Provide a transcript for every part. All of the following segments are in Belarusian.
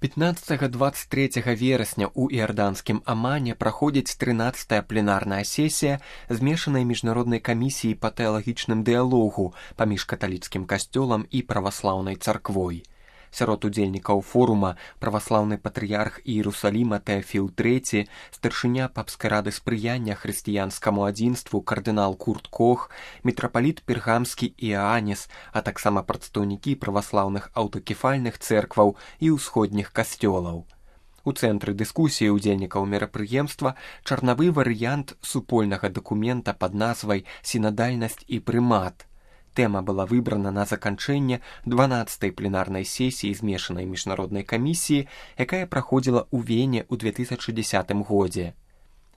15-23 верасня ў іарданскім Амане праходзіць 13-я пленарная сесія змешанай міжнароднай камісіі па тэалагічным дыялогу паміж каталіцкім касцёлам і праваслаўнай царквой. Сярод удзельнікаў форума праваслаўны патрыярх Іерусаліма Тэафіл III, старшыня папскай рады спрыяння хрысціянскаму адзінству кардынал Курт Кох, мітрапаліт пергамскі Іанес, а таксама прадстаўнікі праваслаўных аўтакефальных цэркваў і ўсходніх касцёлаў. У цэнтры дыскусіі ўдзельнікаў мерапрыемства чарнавы варыянт супольнага дакумента пад назвай «Сінадальнасць і прымат». Тэма была выбрана на заканчэнне 12-й пленарнай сесіі змешанай міжнароднай камісіі, якая праходзіла ў Вене ў 2010 годзе.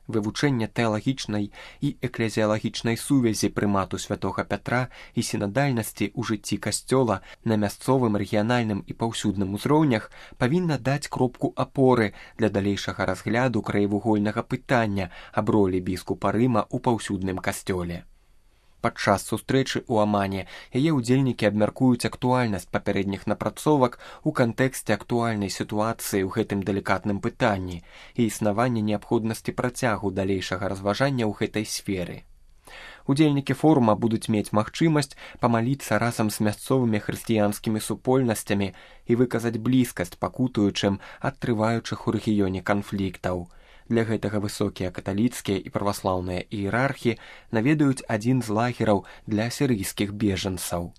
Вывучэнне тэалагічнай і эклезіялагічнай сувязі прымату святога Пятра і сінадальнасці ў жыцці касцёла на мясцовым, рэгіянальным і паўсюдным узроўнях павінна даць кропку апоры для далейшага разгляду краевугольнага пытання аб ролі біскупа Рыма ў паўсюдным касцёле. Падчас сустрэчы ў Амане яе ўдзельнікі абмяркуюць актуальнасць папярэдніх напрацовак у кантэксце актуальнай сітуацыі ў гэтым далікатным пытанні і існавання неабходнасці працягу далейшага разважання ў гэтай сферы. Удзельнікі форума будуць мець магчымасць памаліцца разам з мясцовымі хрысціянскімі супольнасцямі і выказаць блізкасць пакутуючым ад трываючых у рэгіёне канфліктаў. Для гэтага высокія каталіцкія і праваслаўныя іерархі наведаюць адзін з лагераў для сірыйскіх бежанцаў.